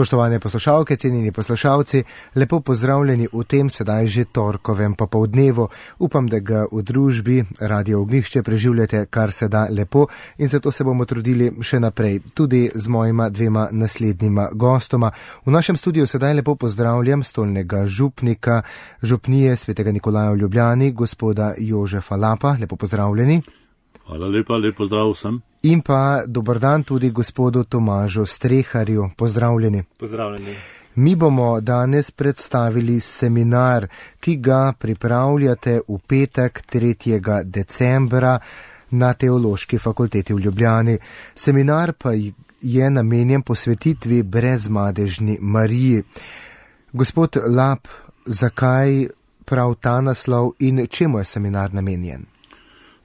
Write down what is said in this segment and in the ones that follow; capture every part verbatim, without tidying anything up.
Spoštovane poslušalke, cenjeni poslušalci, lepo pozdravljeni v tem sedaj že torkovem popoldnevu. Upam, da ga v družbi Radio Ognjišče preživljate kar se da lepo in zato se bomo trudili še naprej, tudi z mojima dvema naslednjima gostoma. V našem studiu sedaj lepo pozdravljam stolnega župnika župnije Svetega Nikolaja v Ljubljani, gospoda Jožefa Lapa. Lepo pozdravljeni. Hvala lepa, lep pozdrav vsem. In pa dober dan tudi gospodu Tomažu Streharju. Pozdravljeni. Pozdravljeni. Mi bomo danes predstavili seminar, ki ga pripravljate v petek tretjega decembra na Teološki fakulteti v Ljubljani. Seminar pa je namenjen posvetitvi brezmadežni Mariji. Gospod Lap, zakaj prav ta naslov in čemu je seminar namenjen?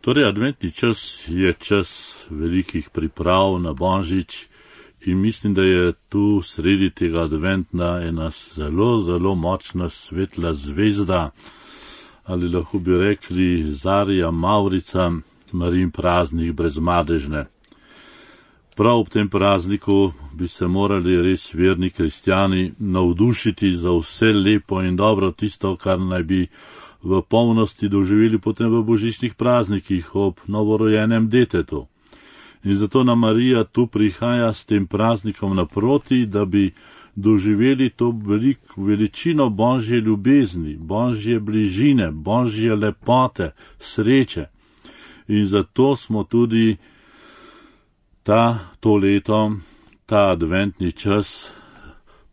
Torej, adventni čas je čas velikih priprav na Božič in mislim, da je tu sredi tega adventna ena zelo, zelo močna svetla zvezda, ali lahko bi rekli Zarja Mavrica, Marijin praznik brezmadežne. Prav ob tem prazniku bi se morali res verni kristjani navdušiti za vse lepo in dobro, tisto, kar naj bi v polnosti doživeli potem v božičnih praznikih ob novorojenem detetu. In zato nam Marija tu prihaja s tem praznikom naproti, da bi doživeli to velik, veličino Božje ljubezni, Božje bližine, Božje lepote, sreče. In zato smo tudi ta, to leto, ta adventni čas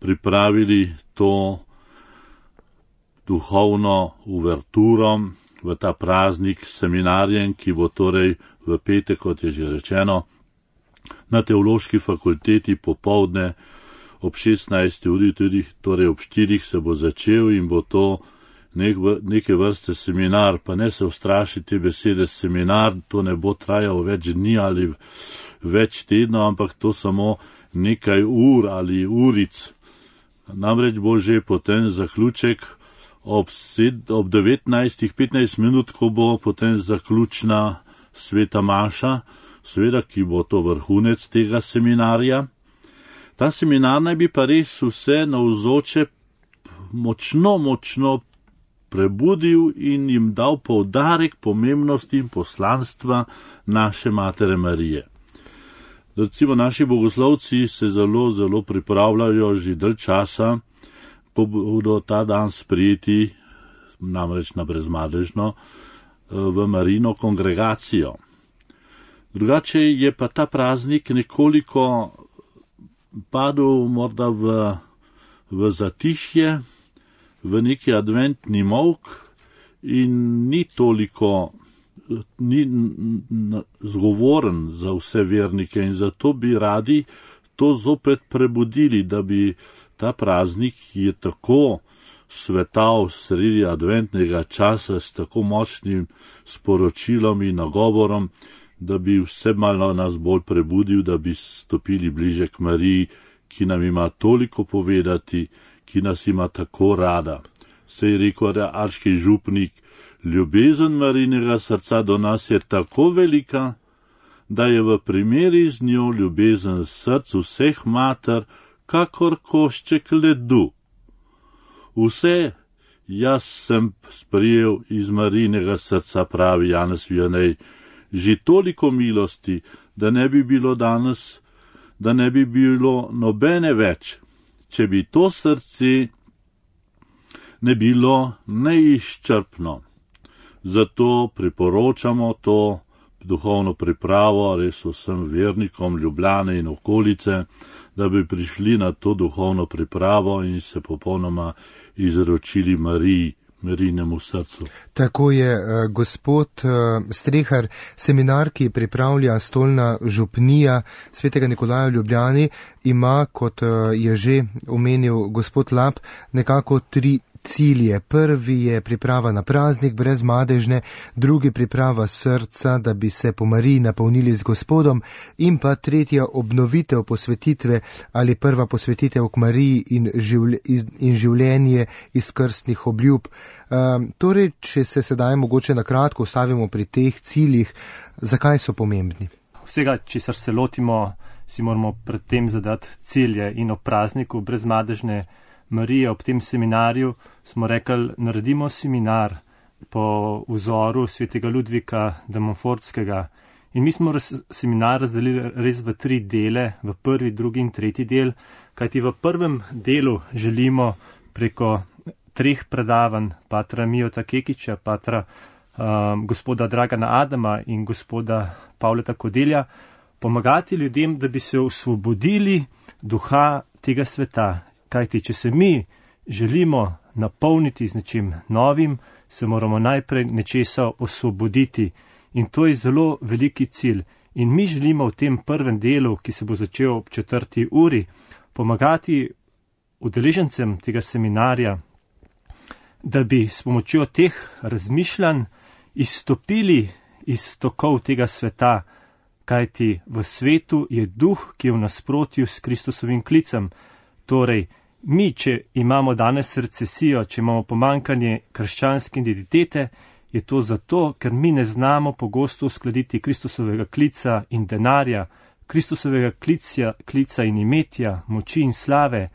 pripravili to duhovno uverturo v ta praznik seminarjem, ki bo torej v petek, kot je že rečeno, na Teološki fakulteti popoldne ob šestnajsti uri, tudi torej ob štirih se bo začel in bo to nek, neke vrste seminar, pa ne se ustrašiti besede seminar, to ne bo trajal več dni ali več tednov, ampak to samo nekaj ur ali uric. Namreč bo že potem zaključek ob, ob devetnajstih petnajst minut, ko bo potem zaključna sveta maša, seveda, ki bo to vrhunec tega seminarja. Ta seminar naj bi pa res vse navzoče močno, močno prebudil in jim dal poudarek pomembnosti in poslanstva naše Matere Marije. Recimo, naši bogoslovci se zelo, zelo pripravljajo že dalj časa, ko bodo ta dan sprejeti, namreč na brezmadežno, v Marijino kongregacijo. Drugače je pa ta praznik nekoliko padel morda v, v zatišje, v neki adventni molk in ni toliko ni zgovoren za vse vernike in zato bi radi to zopet prebudili, da bi ta praznik, ki je tako svetal sredi adventnega časa s tako močnim sporočilom in nagovorom, da bi vse malo nas bolj prebudil, da bi stopili bliže k Mariji, ki nam ima toliko povedati, ki nas ima tako rada. Se je rekel arški župnik, ljubezen Marijinega srca do nas je tako velika, da je v primeri z njo ljubezen src vseh mater, kakor košček ledu. Vse jaz sem sprijel iz Marijinega srca, pravi Janez Vianney, že toliko milosti, da ne bi bilo danes, da ne bi bilo nobene več, če bi to srce ne bilo neizčrpno. Zato priporočamo to duhovno pripravo res vsem vernikom Ljubljane in okolice, da bi prišli na to duhovno pripravo in se popolnoma izročili Mariji, Marijinemu srcu. Tako je, gospod Strehar, seminar, ki pripravlja stolna župnija Svetega Nikolaja v Ljubljani, ima, kot je že omenil gospod Lap, nekako tri cilje. Prvi je priprava na praznik brezmadežne, drugi priprava srca, da bi se po Mariji napolnili z Gospodom, in pa tretja obnovitev posvetitve ali prva posvetitev k Mariji in, življ, in življenje iz krstnih obljub. Um, torej, če se sedaj mogoče na kratko ustavimo pri teh ciljih, zakaj so pomembni? Vsega, česar se lotimo si moramo predtem zadati cilje in ob prazniku brezmadežne Marije, ob tem seminarju smo rekli, naredimo seminar po vzoru svetega Ludvika de Montfortskega. In mi smo res, seminar razdelili res v tri dele, v prvi, drugi in tretji del, kajti v prvem delu želimo preko treh predavanj patra Mijota Kekiča, patra um, gospoda Dragana Adama in gospoda Pavleta Kodelja pomagati ljudem, da bi se osvobodili duha tega sveta. Kajti, če se mi želimo napolniti z nečim novim, se moramo najprej nečesa osvoboditi. In to je zelo veliki cilj. In mi želimo v tem prvem delu, ki se bo začel ob četrti uri, pomagati udeležencem tega seminarja, da bi s pomočjo teh razmišljanj izstopili iz tokov tega sveta, kajti v svetu je duh, ki je v nasprotju s Kristusovim klicem. Torej, mi, če imamo danes recesijo, če imamo pomankanje krščanske identitete, je to zato, ker mi ne znamo pogosto uskladiti Kristusovega klica in denarja, Kristusovega klica, klica in imetja, moči in slave.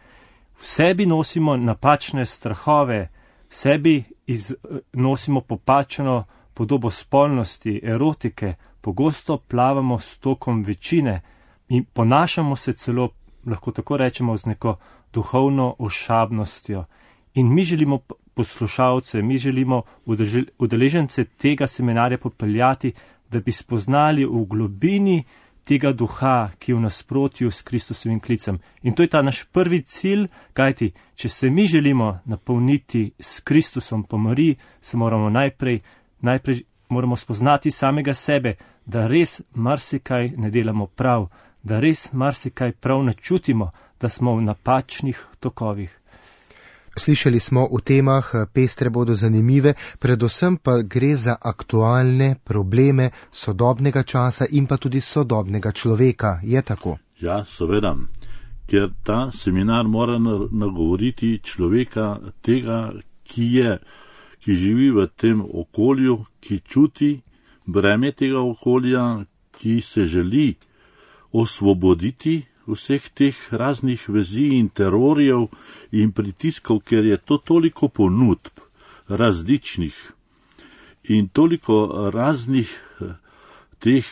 V sebi nosimo napačne strahove, v sebi iz, nosimo popačeno podobo spolnosti, erotike, pogosto plavamo s tokom večine in ponašamo se celo, lahko tako rečemo, z neko duhovno ošabnostjo. In mi želimo poslušalce, mi želimo udeležence tega seminarja popeljati, da bi spoznali v globini tega duha, ki je v nasprotju s Kristusovim klicem. In to je ta naš prvi cilj, kajti, če se mi želimo napolniti s Kristusom po Mariji, se moramo najprej, najprej moramo spoznati samega sebe, da res marsikaj ne delamo prav, da res marsikaj prav ne čutimo, da smo v napačnih tokovih. Slišali smo v temah, pestre bodo zanimive, predvsem pa gre za aktualne probleme sodobnega časa in pa tudi sodobnega človeka. Je tako? Ja, seveda, ker ta seminar mora nagovoriti človeka tega, ki je, ki živi v tem okolju, ki čuti breme tega okolja, ki se želi osvoboditi vseh teh raznih vezi in terorjev in pritiskov, ker je to toliko ponudb različnih in toliko raznih teh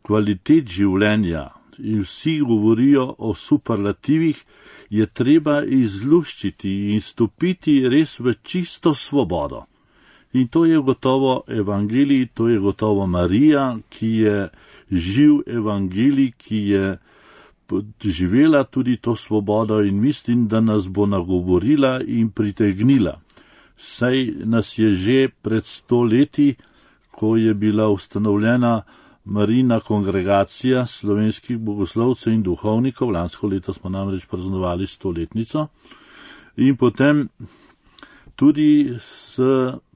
kvalitet življenja in vsi govorijo o superlativih, je treba izluščiti in stopiti res v čisto svobodo. In to je gotovo evangelij, to je gotovo Marija, ki je živ evangelij, ki je živela tudi to svobodo in mislim, da nas bo nagovorila in pritegnila. Saj nas je že pred sto leti, ko je bila ustanovljena Marijina kongregacija slovenskih bogoslovcev in duhovnikov, lansko leto smo namreč praznovali stoletnico, in potem tudi s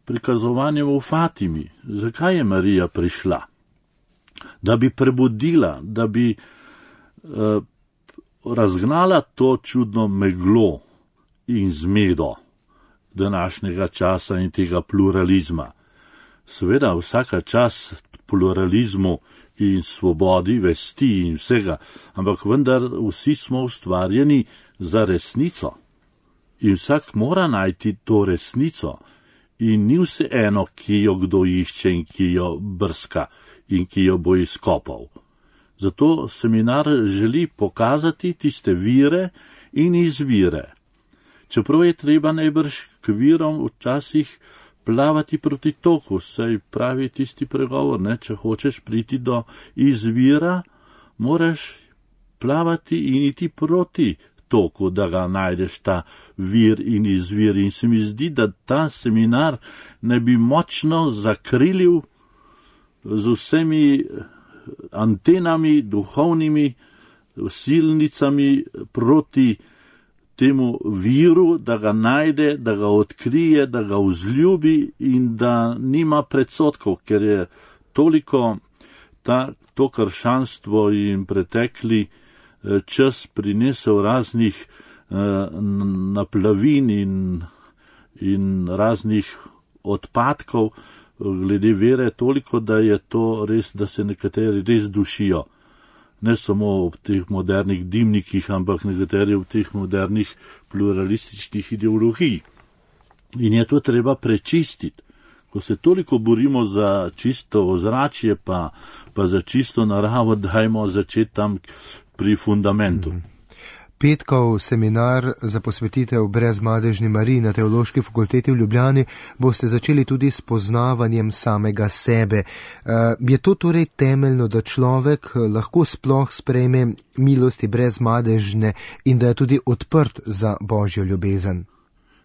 prikazovanjem v Fatimi. Zakaj je Marija prišla? Da bi prebudila, da bi eh, razgnala to čudno meglo in zmedo današnjega časa in tega pluralizma. Seveda vsaka čas pluralizmu in svobodi, vesti in vsega, ampak vendar vsi smo ustvarjeni za resnico. In vsak mora najti to resnico. In ni vse eno, ki jo kdo išče in ki jo brska in ki jo bo izkopal. Zato seminar želi pokazati tiste vire in izvire. Čeprav je treba najbrž k virom včasih plavati proti toku, saj pravi tisti pregovor, ne, če hočeš priti do izvira, moraš plavati in iti proti toku, da ga najdeš ta vir in izvir. In se mi zdi, da ta seminar ne bi močno zakrilil z vsemi antenami, duhovnimi silnicami proti temu viru, da ga najde, da ga odkrije, da ga vzljubi in da nima predsotkov, ker je toliko ta, to krščanstvo in pretekli čas prinesel raznih eh, naplavin in, in raznih odpadkov glede vere, toliko, da je to res, da se nekateri res dušijo ne samo ob teh modernih dimnikih, ampak nekateri ob teh modernih pluralističnih ideologij. In je to treba prečistiti. Ko se toliko borimo za čisto ozračje, pa, pa za čisto naravo, dajmo začeti tam pri fundamentu. Mm. Petkov seminar za posvetitev Brezmadežni Mariji na Teološki fakulteti v Ljubljani boste začeli tudi s poznavanjem samega sebe. Je to torej temeljno, da človek lahko sploh sprejme milosti Brezmadežne in da je tudi odprt za Božjo ljubezen?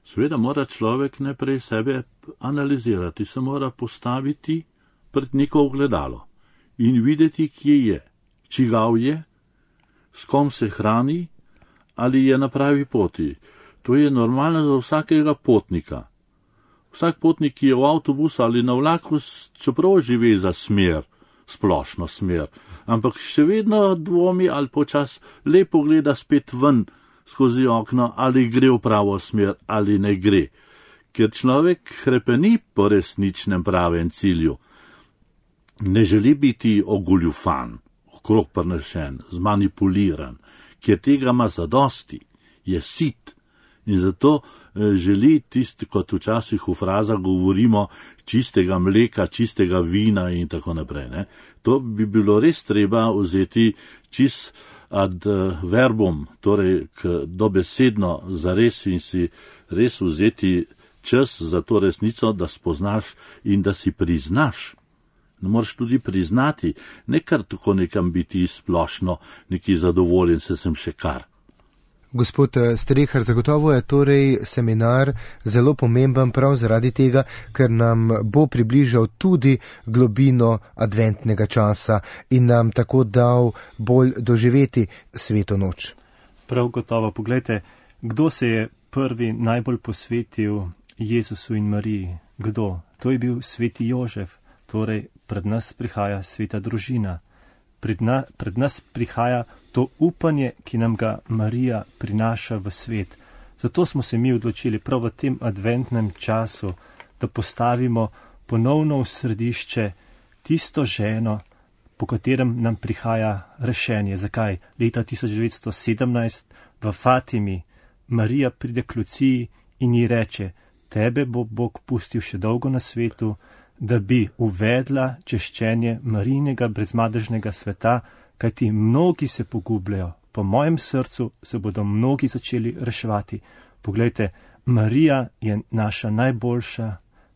Seveda mora človek najprej sebe analizirati, se mora postaviti pred neko ogledalo in videti, kje je, čigav je, s kom se hrani, ali je na pravi poti. To je normalno za vsakega potnika. Vsak potnik, ki je v avtobusu ali na vlaku, čeprav živi za smer, splošno smer, ampak še vedno dvomi ali počas lepo gleda spet ven skozi okno, ali gre v pravo smer ali ne gre. Ker človek hrepeni po resničnem pravem cilju. Ne želi biti ogoljufan, okrog prnešen, zmanipuliran, ker tega ima zadosti, je sit. In zato želi tisti, kot včasih v frazah govorimo, čistega mleka, čistega vina in tako naprej. Ne? To bi bilo res treba vzeti čist ad verbum, torej k dobesedno zares in si res vzeti čas za to resnico, da spoznaš in da si priznaš. Ne moreš tudi priznati, ne kar tako nekam biti splošno, neki zadovoljen, se sem še kar. Gospod Strehar, zagotovo je torej seminar zelo pomemben prav zaradi tega, ker nam bo približal tudi globino adventnega časa in nam tako dal bolj doživeti sveto noč. Prav gotovo, pogledajte, kdo se je prvi najbolj posvetil Jezusu in Mariji? Kdo? To je bil sveti Jožef, torej pred nas prihaja sveta družina. Pred, na, pred nas prihaja to upanje, ki nam ga Marija prinaša v svet. Zato smo se mi odločili prav v tem adventnem času, da postavimo ponovno v središče tisto ženo, po katerem nam prihaja rešenje. Zakaj? Leta tisoč devetsto sedemnajst v Fatimi Marija pride k Luciji in ji reče: tebe bo Bog pustil še dolgo na svetu, da bi uvedla češčenje Marijinega brezmadežnega sveta, kajti mnogi se pogubljajo. Po mojem srcu se bodo mnogi začeli reševati. Poglejte, Marija je naša najboljša,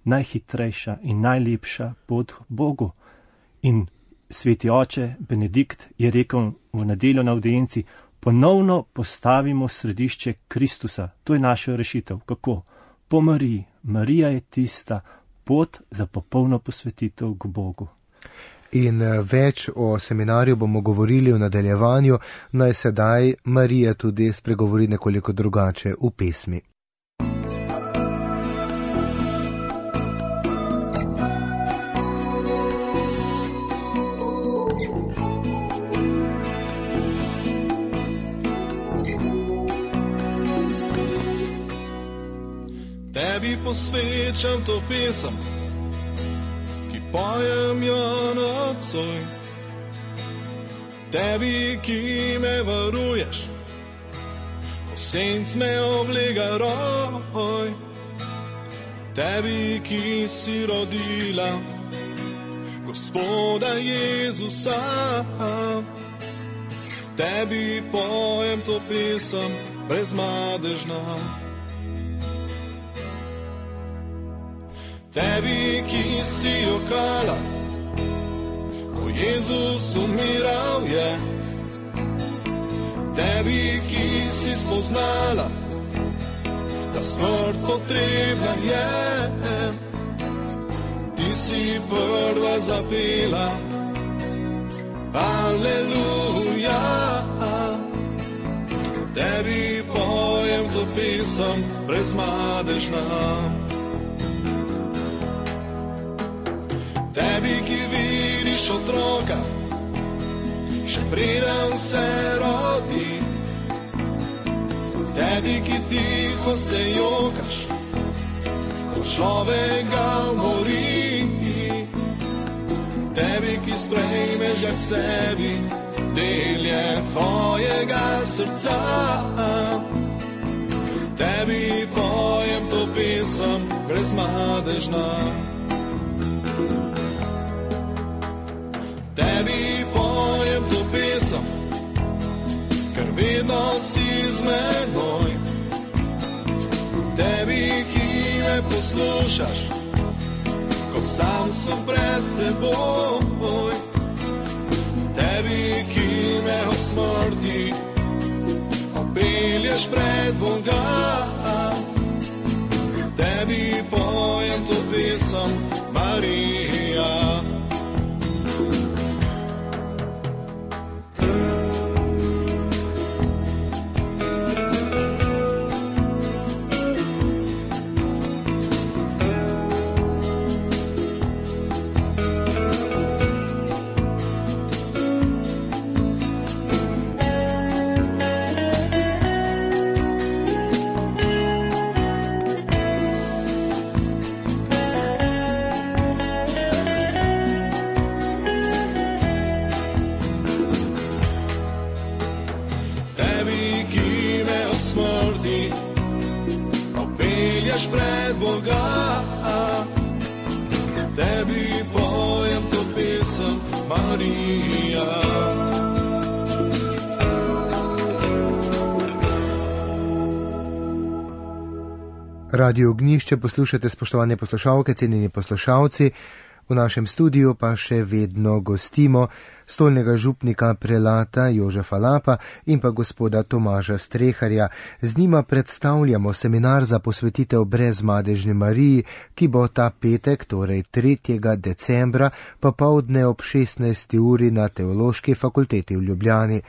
najhitrejša in najlepša pot k Bogu. In sveti oče Benedikt je rekel v nedeljo na avdienci: ponovno postavimo središče Kristusa. To je naša rešitev. Kako? Po Mariji. Marija je tista pot za popolno posvetitev k Bogu. In več o seminarju bomo govorili v nadaljevanju, naj sedaj Marija tudi spregovori nekoliko drugače v pesmi. Tebi posvečam to pesem, ki pojem jo nocoj. Tebi, ki me varuješ, ko senc me oblega roj. Tebi, ki si rodila Gospoda Jezusa. Tebi pojem to pesem brezmadežna. Tebi, ki si jokala, ko Jezus umiral je. Tebi, ki si spoznala, da smrt potrebna je. Ti si prva zapela, aleluja. Tebi pojem to pesem brezmadežna. Tebi, ki vidiš otroka, še preden se rodi. Tebi, ki tiho se jokaš, ko človek ga umori. Tebi, ki sprejmeš ga k sebi, podelje tvojega srca. Tebi pojem to pesem brezmadežna. Tebi pojem to pesem, ker vedno si z menoj. Tebi, ki me poslušaš, ko sam sem pred teboj. Tebi, ki me ob smrti opelješ pred Boga. Tebi pojem to pesem, Marija. Pred Boga, tebi pojem to pesem, Marija. Radio Ognjišče poslušate, spoštovane poslušalke, cenjeni poslušalci. V našem studiu pa še vedno gostimo stolnega župnika prelata Jožefa Lapa in pa gospoda Tomaža Streharja. Z njima predstavljamo seminar za posvetitev Brezmadežni Mariji, ki bo ta petek, torej tretjega decembra, popoldne ob šestnajsti uri na Teološki fakulteti v Ljubljani.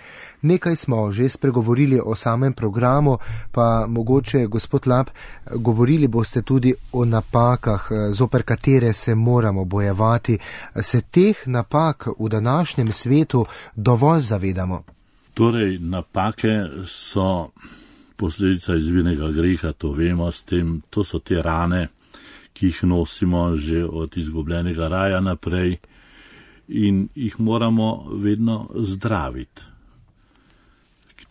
Nekaj smo že spregovorili o samem programu, pa mogoče, gospod Lap, govorili boste tudi o napakah, zoper katere se moramo bojevati. Se teh napak v današnjem svetu dovolj zavedamo? Torej, napake so posledica izvirnega greha, to vemo, s tem, to so te rane, ki jih nosimo že od izgubljenega raja naprej in jih moramo vedno zdraviti,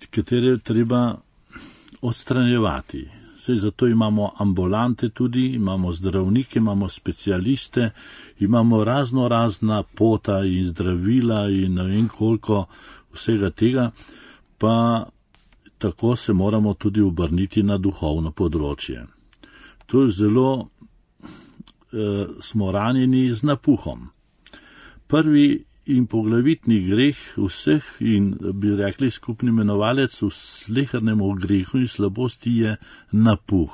katere treba odstranjevati. Saj zato imamo ambulante tudi, imamo zdravnike, imamo specialiste, imamo razno razna pota in zdravila in ne vem koliko vsega tega, pa tako se moramo tudi obrniti na duhovno področje. To je zelo eh, smo ranjeni z napuhom. Prvi in poglavitni greh vseh in bi rekli skupni imenovalec v slehernemu grehu in slabosti je napuh.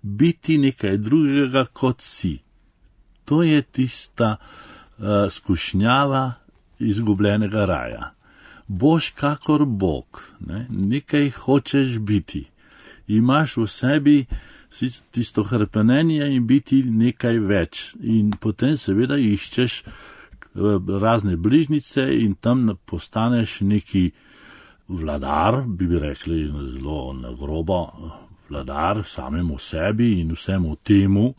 Biti nekaj drugega kot si. To je tista uh, skušnjava izgubljenega raja. Boš kakor Bog, ne? Nekaj hočeš biti. Imaš v sebi tisto hrpenenje in biti nekaj več. In potem seveda iščeš razne bližnice in tam postaneš neki vladar, bi bi rekli zelo nagrobo, vladar samemu sebi in vsemu temu,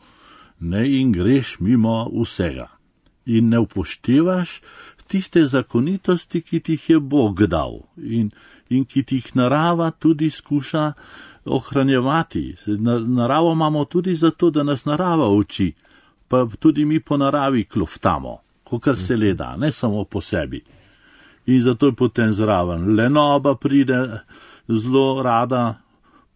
ne, in greš mimo vsega. In ne upoštevaš tiste zakonitosti, ki ti jih je Bog dal in, in ki ti jih narava tudi skuša ohranjevati. Naravo imamo tudi zato, da nas narava uči, pa tudi mi po naravi kloftamo. Kakor se le da, ne samo po sebi. In zato je potem zraven lenoba pride zelo rada,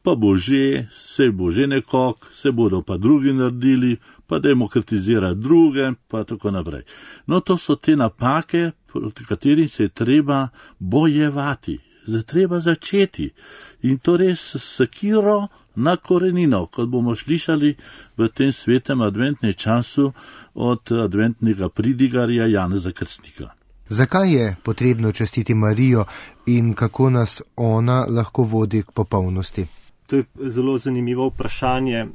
pa bo že, se bo že nekog, se bodo pa drugi naredili, pa demokratizira druge, pa tako naprej. No, to so te napake, proti katerim se je treba bojevati, zdaj treba začeti. In to res s sekiro na korenino, kot bomo slišali v tem svetem adventnem času od adventnega pridigarja Janeza Krstnika. Zakaj je potrebno častiti Marijo in kako nas ona lahko vodi k popolnosti? To je zelo zanimivo vprašanje,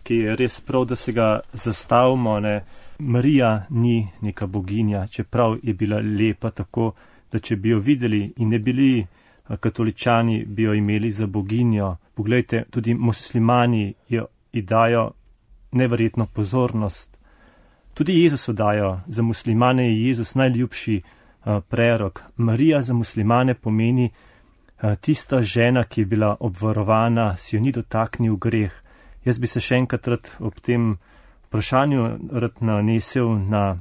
ki je res prav, da se ga zastavimo. Ne? Marija ni neka boginja, čeprav je bila lepa tako, da če bi jo videli in ne bili katoličani, bi jo imeli za boginjo. Poglejte, tudi muslimani jo dajo neverjetno pozornost. Tudi Jezusu dajo. Za muslimane je Jezus najljubši prerok. Marija za muslimane pomeni tista žena, ki je bila obvarovana, si jo ni dotaknil greh. Jaz bi se še enkrat rad ob tem vprašanju rad nanesel na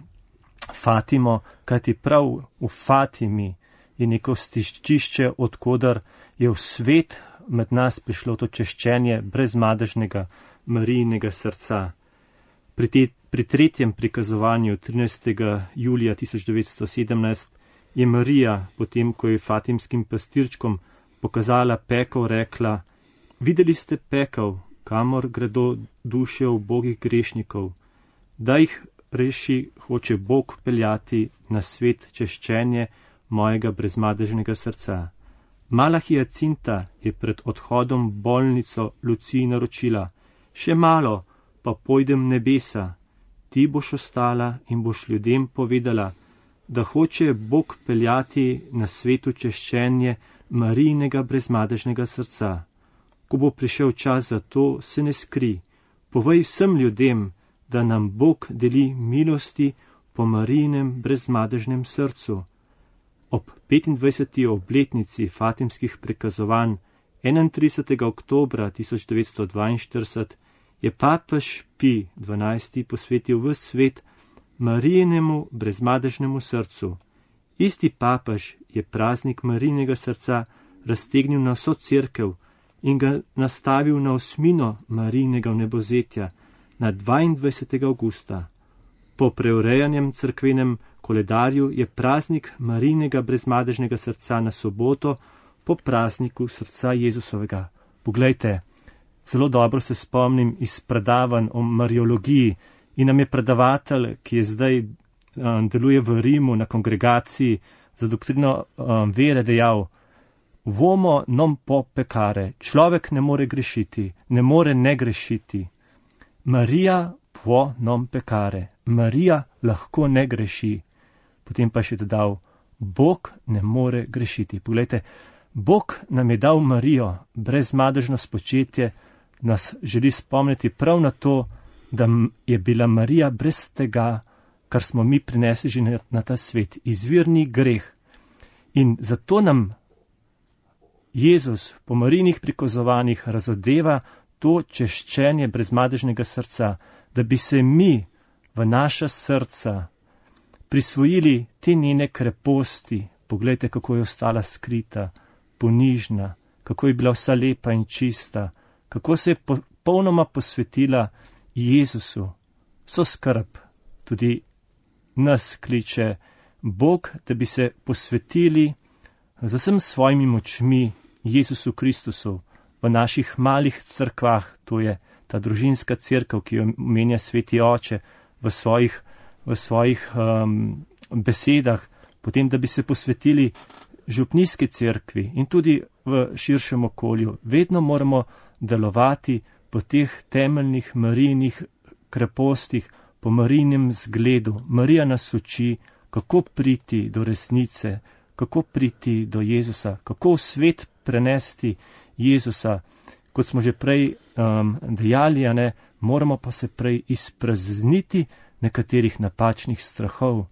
Fatimo, kajti prav v Fatimi je neko stičišče, odkudar je v svet med nas prišlo to češčenje brezmadežnega Marijinega srca. Pri, te, pri tretjem prikazovanju trinajstega julija tisoč devetsto sedemnajst je Marija, potem ko je fatimskim pastirčkom pokazala pekel, rekla: videli ste pekel, kamor gredo duše ubogih grešnikov, da jih reši hoče Bog peljati na svet češčenje mojega brezmadežnega srca. Mala Hiacinta je pred odhodom v bolnico Luciji naročila: še malo, pa pojdem nebesa, ti boš ostala in boš ljudem povedala, da hoče Bog peljati na svetu češčenje Marijinega brezmadežnega srca. Ko bo prišel čas za to, se ne skri, povej vsem ljudem, da nam Bog deli milosti po Marijinem brezmadežnem srcu. Ob petindvajseti obletnici fatimskih prikazovanj enaintridesetega oktobra tisoč devetsto dvainštirideset je papež Pij dvanajsti posvetil ves svet Marijinemu brezmadežnemu srcu. Isti papež je praznik Marijinega srca raztegnil na vso cerkev in ga nastavil na osmino Marijinega vnebozetja na dvaindvajsetega avgusta. Po preurejanjem cerkvenem koledarju je praznik Marijinega brezmadežnega srca na soboto po prazniku srca Jezusovega. Poglejte, zelo dobro se spomnim iz predavanj o mariologiji in nam je predavatelj, ki je zdaj um, deluje v Rimu na kongregaciji za doktrino um, vere, dejal: Uomo non può peccare, človek ne more grešiti, ne more ne grešiti. Marija può non peccare, Marija lahko ne greši. Potem pa še dodal: Bog ne more grešiti. Poglejte, Bog nam je dal Marijo, brezmadežno spočetje, nas želi spomniti prav na to, da je bila Marija brez tega, kar smo mi prinesli že na, na ta svet, izvirni greh. In zato nam Jezus po Marijinih prikazovanjih razodeva to češčenje brezmadežnega srca, da bi se mi v naša srca prisvojili te njene kreposti. Poglejte, kako je ostala skrita, ponižna, kako je bila vsa lepa in čista, kako se je popolnoma posvetila Jezusu. Vso skrb, tudi nas kliče Bog, da bi se posvetili z vsem svojimi močmi Jezusu Kristusu v naših malih cerkvah, to je ta družinska cerkev, ki jo omenja Sveti Oče v svojih, v svojih um, besedah, potem da bi se posvetili župnijski cerkvi in tudi v širšem okolju. Vedno moramo delovati po teh temeljnih Marijinih krepostih, po Marijinem zgledu. Marija nas uči, kako priti do resnice, kako priti do Jezusa, kako v svet prenesti Jezusa. Kot smo že prej um, dejali, a ne, moramo pa se prej izprazniti nekaterih napačnih strahov,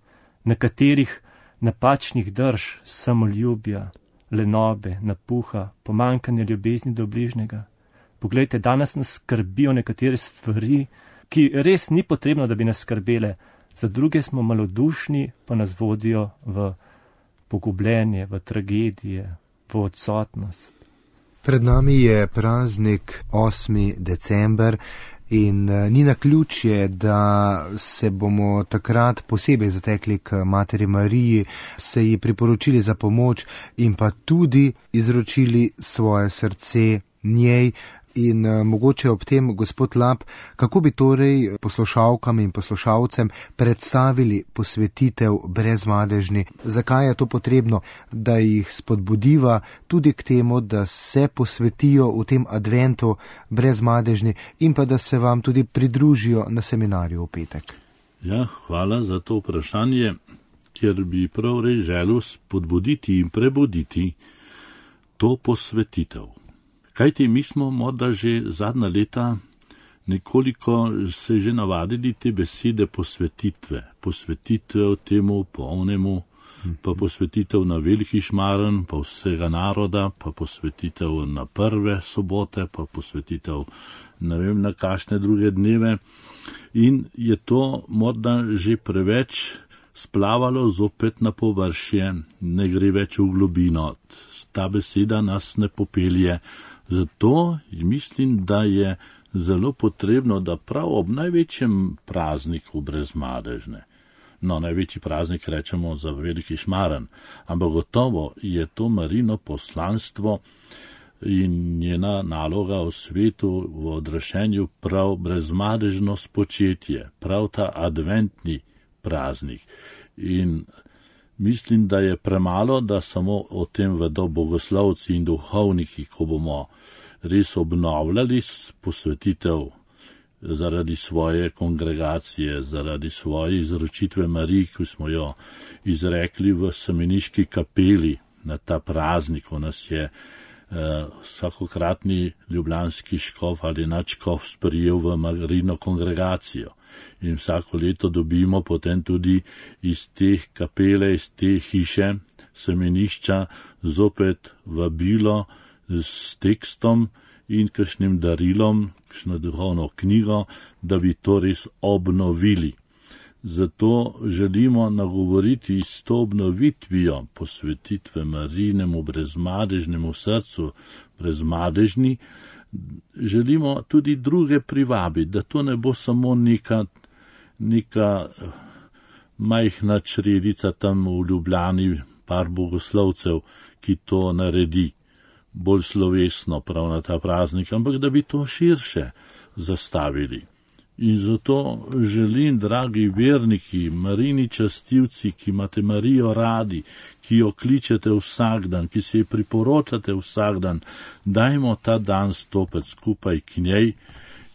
nekaterih napačnih drž, samoljubja, lenobe, napuha, pomankanja ljubezni do bližnjega. Poglejte, danes nas skrbijo nekatere stvari, ki res ni potrebno, da bi nas skrbele. Za druge smo malodušni, pa nas vodijo v pogubljenje, v tragedije, v odsotnost. Pred nami je praznik osmi december in ni naključje, da se bomo takrat posebej zatekli k Materi Mariji, se ji priporočili za pomoč in pa tudi izročili svoje srce njej. In uh, mogoče ob tem, gospod Lap, kako bi torej poslušalkam in poslušalcem predstavili posvetitev brezmadežni? Zakaj je to potrebno, da jih spodbudiva tudi k temu, da se posvetijo v tem adventu brezmadežni in pa da se vam tudi pridružijo na seminarju v petek? Ja, hvala za to vprašanje, ker bi prav res želel spodbuditi in prebuditi to posvetitev. Kajti mi smo morda že zadnja leta nekoliko se že navadili te besede posvetitve, posvetitve temu polnemu pa posvetitev na Veliki Šmaren, pa vsega naroda, pa posvetitev na prve sobote, pa posvetitev ne vem na kakšne druge dneve. In je to morda že preveč splavalo zopet na površje, ne gre več v globino. Ta beseda nas ne popelje. Zato mislim, da je zelo potrebno, da prav ob največjem prazniku Brezmadežne, no, največji praznik rečemo za Veliki Šmaren, ampak gotovo je to Marino poslanstvo in njena naloga v svetu, v odraščenju prav brezmadežno spočetje, prav ta adventni praznik. In mislim, da je premalo, da samo o tem vedo bogoslovci in duhovniki, ko bomo res obnovljali posvetitev zaradi svoje kongregacije, zaradi svoje izročitve Mariji, ki smo jo izrekli v semeniški kapeli na ta praznik, ko nas je eh, vsakokratni ljubljanski škof ali nadškof sprijel v Marino kongregacijo. In vsako leto dobimo potem tudi iz te kapele, iz te hiše, semenišča, zopet vabilo s tekstom in kakšnim darilom, kakšno duhovno knjigo, da bi to res obnovili. Zato želimo nagovoriti s to obnovitvijo posvetitve Marijinemu brezmadežnemu srcu, brezmadežni, želimo tudi druge privabiti, da to ne bo samo neka, neka majhna čredica tam v Ljubljani, par bogoslovcev, ki to naredi bolj slovesno prav na ta praznik, ampak da bi to širše zastavili. In zato želim, dragi verniki, Marini častivci, ki imate Marijo radi, ki jo kličete vsak dan, ki se ji priporočate vsak dan, dajmo ta dan stopiti skupaj k njej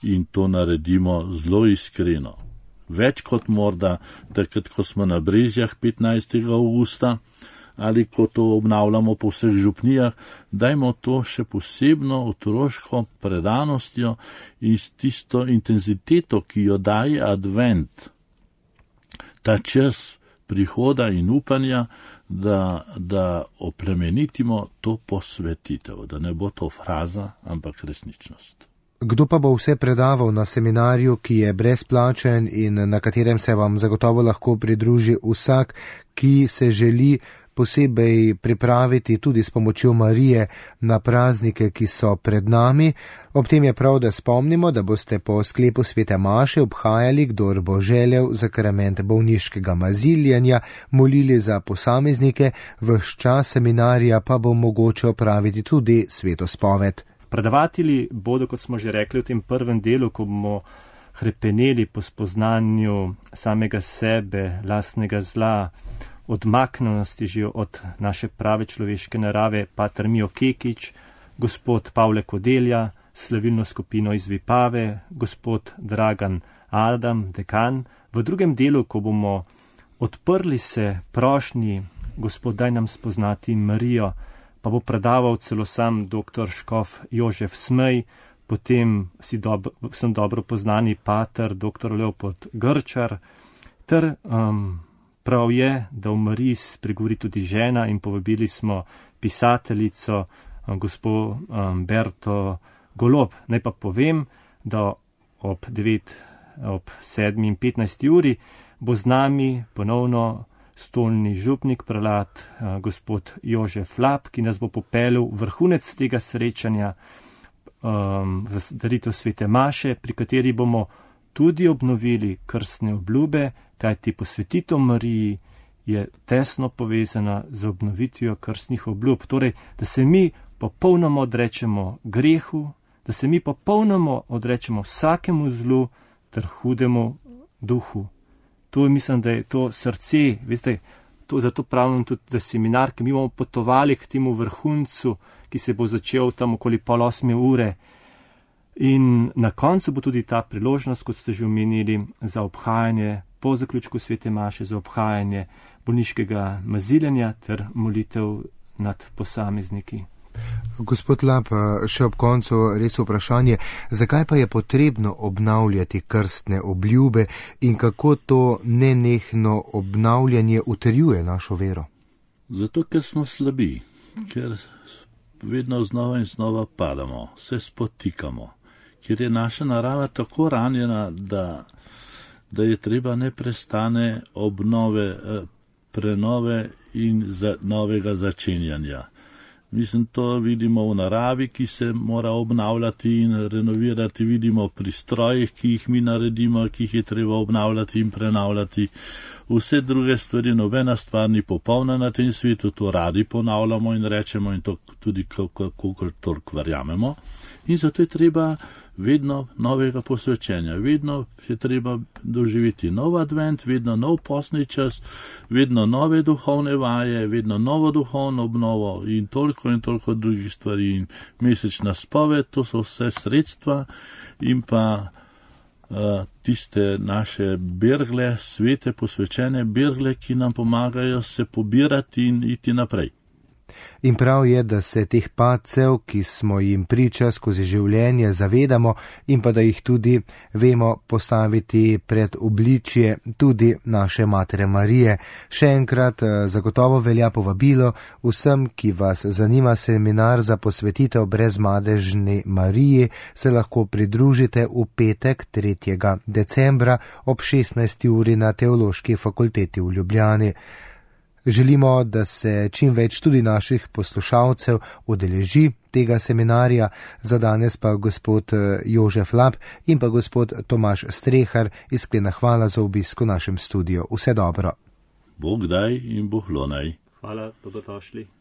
in to naredimo zelo iskreno. Več kot morda takrat, ko smo na Brezjah petnajstega avgusta, ali ko to obnavljamo po vseh župnijah, dajmo to še posebno otroško predanostjo in s tisto intenziteto, ki jo daje advent, ta čas prihoda in upanja, da, da oplemenitimo to posvetitev, da ne bo to fraza, ampak resničnost. Kdo pa bo vse predaval na seminarju, ki je brezplačen in na katerem se vam zagotovo lahko pridruži vsak, ki se želi posebej pripraviti tudi s pomočjo Marije na praznike, ki so pred nami. Ob tem je prav, da spomnimo, da boste po sklepu svete maše obhajali, kdor bo želel, sakrament bolniškega maziljenja, molili za posameznike, ves čas seminarja pa bo mogoče opraviti tudi sveto spoved. Predavatelji bodo, kot smo že rekli v tem prvem delu, ko bomo hrepeneli po spoznanju samega sebe, lastnega zla, odmaknjenosti že od naše prave človeške narave, pater Mijo Kekič, gospod Pavle Kodelja, slavilno skupino iz Vipave, gospod Dragan Adam, dekan. V drugem delu, ko bomo odprli se prošnji, gospod, daj nam spoznati Marijo, pa bo predaval celo sam doktor škof Jožef Smej, potem si dobro, sem dobro poznani pater doktor Leopold Grčar, ter um, prav je, da v Mariji spregovori tudi žena in povabili smo pisateljico gospo um, Berto Golob. Naj pa povem, da ob devet, ob sedmi in petnajsti uri bo z nami ponovno stolni župnik, prelat uh, gospod Jožef Lap, ki nas bo popeljal vrhunec tega srečanja um, v daritev svete maše, pri kateri bomo tudi obnovili krstne obljube, kajti posvetitev Mariji je tesno povezana z obnovitvijo krstnih obljub. Torej, da se mi popolnoma odrečemo grehu, da se mi popolnoma odrečemo vsakemu zlu ter hudemu duhu. To mislim, da je to srce, veste, to, zato pravim tudi, da seminar, ki mi bomo potovali k temu vrhuncu, ki se bo začel tam okoli pol osme ure. In na koncu bo tudi ta priložnost, kot ste že omenili, za obhajanje po zaključku svete maše, za obhajanje bolniškega maziljenja ter molitev nad posamezniki. Gospod Lap, še ob koncu res vprašanje, zakaj pa je potrebno obnavljati krstne obljube in kako to nenehno obnavljanje utrjuje našo vero? Zato, ker smo slabi, ker vedno znova in znova padamo, se spotikamo, ker je naša narava tako ranjena, da, da je treba neprestane obnove, prenove in za, novega začenjanja. Mislim, to vidimo v naravi, ki se mora obnavljati in renovirati, vidimo pri strojih, ki jih mi naredimo, ki jih je treba obnavljati in prenavljati. Vse druge stvari, nobena stvar ni popolna na tem svetu, to radi ponavljamo in rečemo in to tudi kakor toliko verjamemo. In zato je treba vedno novega posvečenja, vedno je treba doživeti nov advent, vedno nov postni čas, vedno nove duhovne vaje, vedno novo duhovno obnovo in toliko in toliko drugih stvari. In mesečna spoved, to so vse sredstva in pa uh, tiste naše bergle, svete posvečene bergle, ki nam pomagajo se pobirati in iti naprej. In prav je, da se teh padcev, ki smo jim priča skozi življenje, zavedamo in pa da jih tudi vemo postaviti pred obličje tudi naše Matere Marije. Še enkrat zagotovo velja povabilo vsem, ki vas zanima seminar za posvetitev Brezmadežni Mariji, se lahko pridružite v petek tretjega decembra ob šestnajsti uri na Teološki fakulteti v Ljubljani. Želimo, da se čim več tudi naših poslušalcev udeleži tega seminarja. Za danes pa gospod Jožef Lap in pa gospod Tomaž Strehar, iskrena hvala za obisk v našem studiu. Vse dobro. Bog daj in Bog lonaj. Hvala, dobrodošli.